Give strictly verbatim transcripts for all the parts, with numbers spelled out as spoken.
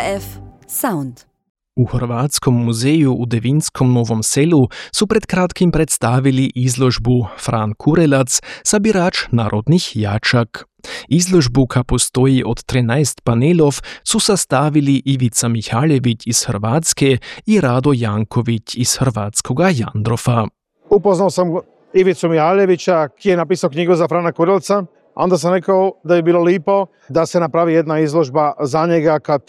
H F Sound. U Hrvatskom muzeju u Devinskom Novom Selu su pred kratkim predstavili izložbu Fran Kurelac, sabirač narodnih jačak. Izložbu, ka postoji od trinaest panelov, su sastavili Ivica Mihaljević iz Hrvatske i Rado Janković iz hrvatskoga Jandrofa. Upoznao sam Ivicu Mihaljevića, ki je napisao knjigu za Frana Kurelca. Onda sam rekao da je bilo lipo da se napravi jedna izložba za njega, kad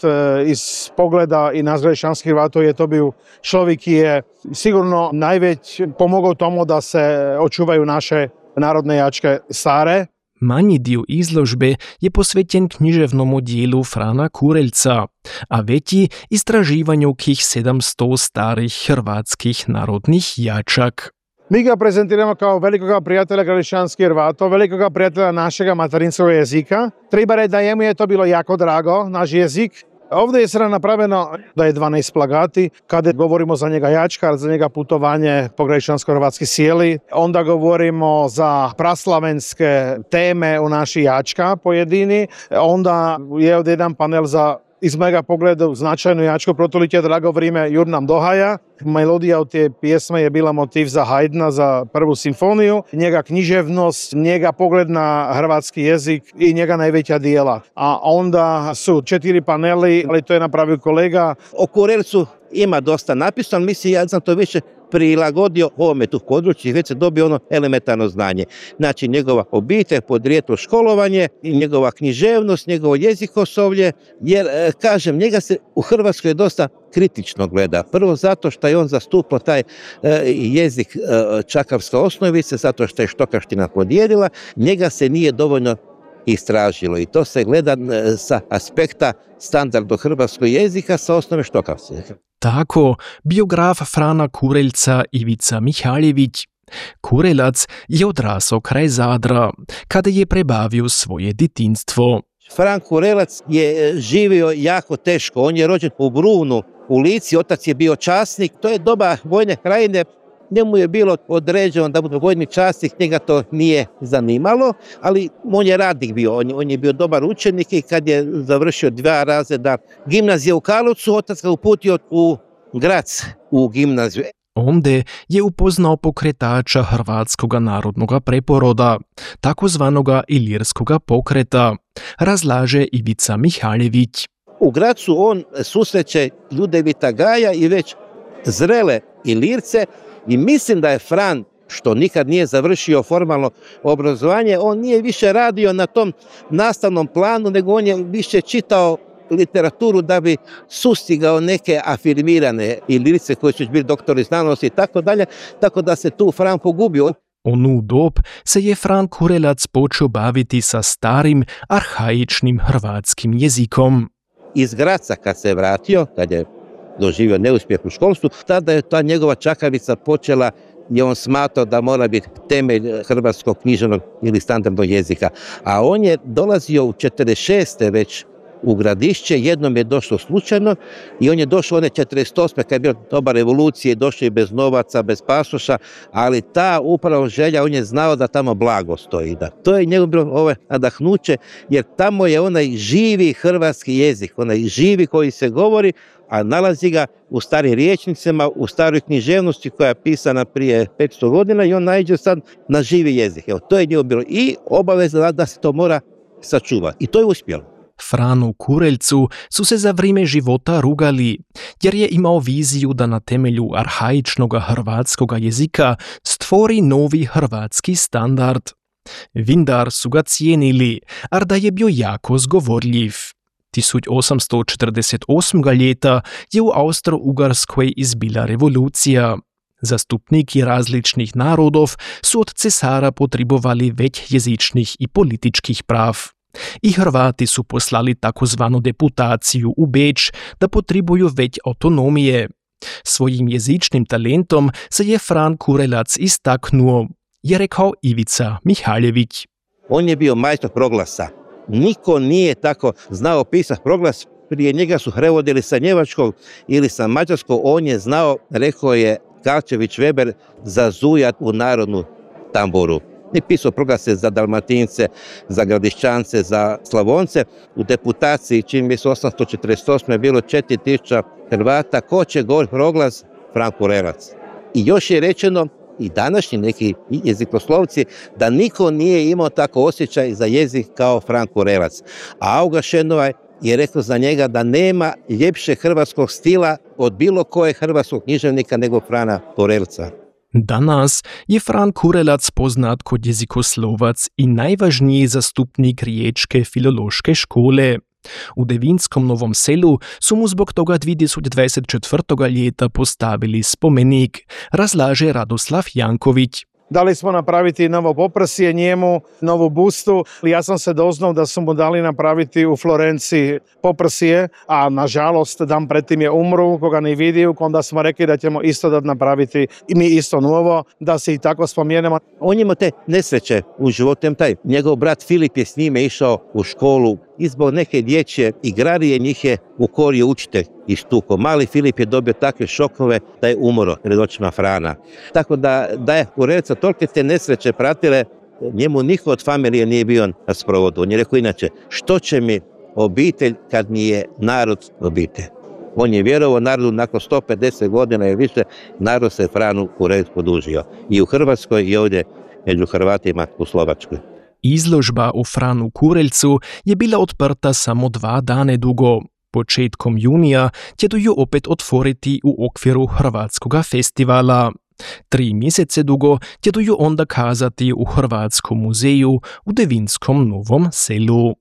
iz pogleda i nazgrešćanskih Hrvatov je to bio čovjek ki je sigurno najveć pomogao tomu da se očuvaju naše narodne jačke stare. Manji dio izložbe je posvećen književnom dijelu Frana Kurelca, a veći istraživanju kih sedamsto starih hrvatskih narodnih jačak. Mi ga prezentiramo kao velikoga prijatelja gradišćanskih Hrvatov, velikoga prijatelja našega materinskog jezika. Treba reći da jemu je to bilo jako drago, naš jezik. Ovdje je sada napravljeno da je dvanaest plagati, kada govorimo za njega jačkar, za njega putovanje po gradišćansko-hrvatski sjeli. Onda govorimo za praslavenske teme u naši jačka pojedini. Onda je ovdje jedan panel za, iz mojega pogleda, značajnu jačku Protolitje drago vrijeme Jur nam dohaja. Melodija od te pjesme je bila motiv za Haydna, za prvu simfoniju. Njega književnost, njega pogled na hrvatski jezik i njega najveća dijela. A onda su četiri paneli, ali to je napravio kolega. O Kurelcu ima dosta napisano, mislim ja sam to više prilagodio ovome tu području i već se dobio ono elementarno znanje. Znači njegova obitelj, podrijetlo, školovanje, njegova književnost, njegovo jezikoslovlje, jer kažem, njega se u Hrvatskoj dosta kritično gleda. Prvo zato što je on zastupao taj e, jezik e, čakavske osnovice, zato što je štokaština podijelila, njega se nije dovoljno istražilo i to se gleda e, sa aspekta standarda hrvatskog jezika sa osnove štokavske. Tako, biograf Frana Kurelca Ivica Mihaljević. Kurelac je odrasao kraj Zadra, kada je prebavio svoje djetinjstvo. Fran Kurelac je živio jako teško. On je rođen u Brunu, u Lici, otac je bio časnik. To je doba vojne krajine. Njemu je bilo određeno da bude vojni časnik, njega to nije zanimalo, ali on je radnik bio, on, on je bio dobar učenik i kad je završio dva razreda gimnazije u Karlovcu, otac ga uputio u Grac u gimnaziju. Onde je upoznao pokretača hrvatskog narodnog preporoda, takozvanoga ilirskoga pokreta, razlaže Ivica Mihaljević. U Gracu on susreće Ljudevita Gaja i već zrele Ilirce i mislim da je Fran, što nikad nije završio formalno obrazovanje, on nije više radio na tom nastavnom planu, nego on je više čitao literaturu da bi sustigao neke afirmirane Ilirce koji su bili doktori znanosti i tako dalje, tako da se tu Fran pogubio. Onu dob se je Fran Kurelac počeo baviti sa starim, arhaičnim hrvatskim jezikom. Iz Graca kad se vratio, kad je doživio neuspjeh u školstvu, tada je ta njegova čakavica počela, je on smatrao da mora biti temelj hrvatskog književnog ili standardnog jezika. A on je dolazio u četrdeset šeste već u Gradišće, jednom je došlo slučajno i on je došao one četrdeset osme kad je bila doba revolucije, došao i bez novaca, bez pasoša, ali ta upravo želja, on je znao da tamo blago stoji. Da. To je njegov bilo ovo nadahnuće, jer tamo je onaj živi hrvatski jezik, onaj živi koji se govori, a nalazi ga u starim riječnicima, u staroj književnosti koja je pisana prije petsto godina i on naiđe sad na živi jezik. Evo, to je njegov bilo i obaveza da se to mora sačuvati. I to je uspjelo. Franu Kurelcu su se za vrijeme života rugali, jer je imao viziju da na temelju arhaičnog hrvatskog jezika stvori novi hrvatski standard. Vindar su ga cijenili, ar da je bio jako zgovorljiv. tisoč osamsto četrdeset osmega ljeta je u Austro-Ugarskoj izbila revolucija. Zastupniki različnih narodov su od cesara potrebovali već jezičnih i političkih prav. I Hrvati su poslali takozvanu deputaciju u Beč da potrebuju već autonomije. Svojim jezičnim talentom se je Fran Kurelac istaknuo, je rekao Ivica Mihaljević. On je bio majstor proglasa. Niko nije tako znao pisati proglas. Prije njega su prevodili sa njemačkog ili sa mađarskog. On je znao, rekao je Karčević Weber, zazujat u narodnu tamburu. I pisao proglase za Dalmatince, za Gradišćance, za Slavonce. U deputaciji, čini mi se osamsto četrdeset osme je bilo četiri tisuće Hrvata. Ko će govoriti proglas? Fran Kurelac. I još je rečeno, i današnji neki jezikoslovci, da niko nije imao tako osjećaj za jezik kao Fran Kurelac. A Auga Šenovaj je rekao za njega da nema ljepše hrvatskog stila od bilo kojeg hrvatskog književnika nego Frana Kurelca. Danas je Fran Kurelac poznat kot jezikoslovac i najvažniji zastupnik riječke filološke škole. U Devinskom Novom Selu su mu zbog toga dve tisoč dvajset četvrtega leta postavili spomenik, razlaže Radoslav Janković. Dali smo napraviti novo poprsje njemu, novu bustu. Ja sam se doznao da su mu dali napraviti u Florenciji poprsje, a nažalost dan pretim je umru, koga ne vidio, onda smo rekli da ćemo isto da napraviti i mi isto novo, da se i tako spomenemo. On ima te nesreće u životu, taj njegov brat Filip je s njime išao u školu i zbog neke dječje igrarije njih je u korije učitelj ištuko. Mali Filip je dobio takve šokove da je umro pred očima Frana. Tako da, da je Kurelca tolike te nesreće pratile, njemu niko od familije nije bio na sprovodu. On je rekao inače, što će mi obitelj kad mi je narod obitelj? On je vjerovao narodu nakon sto pedeset godina i više, narod se Franu Kurelcu podužio. I u Hrvatskoj i ovdje među Hrvatima u Slovačkoj. Izložba o Franu Kurelcu je bila odprta samo dva dane dugo. Početkom junija ćedu ju opet otvoriti u okviru Hrvatskoga festivala. Tri mjesece dugo ćedu ju onda kazati u Hrvatskom muzeju u Devinskom Novom Selu.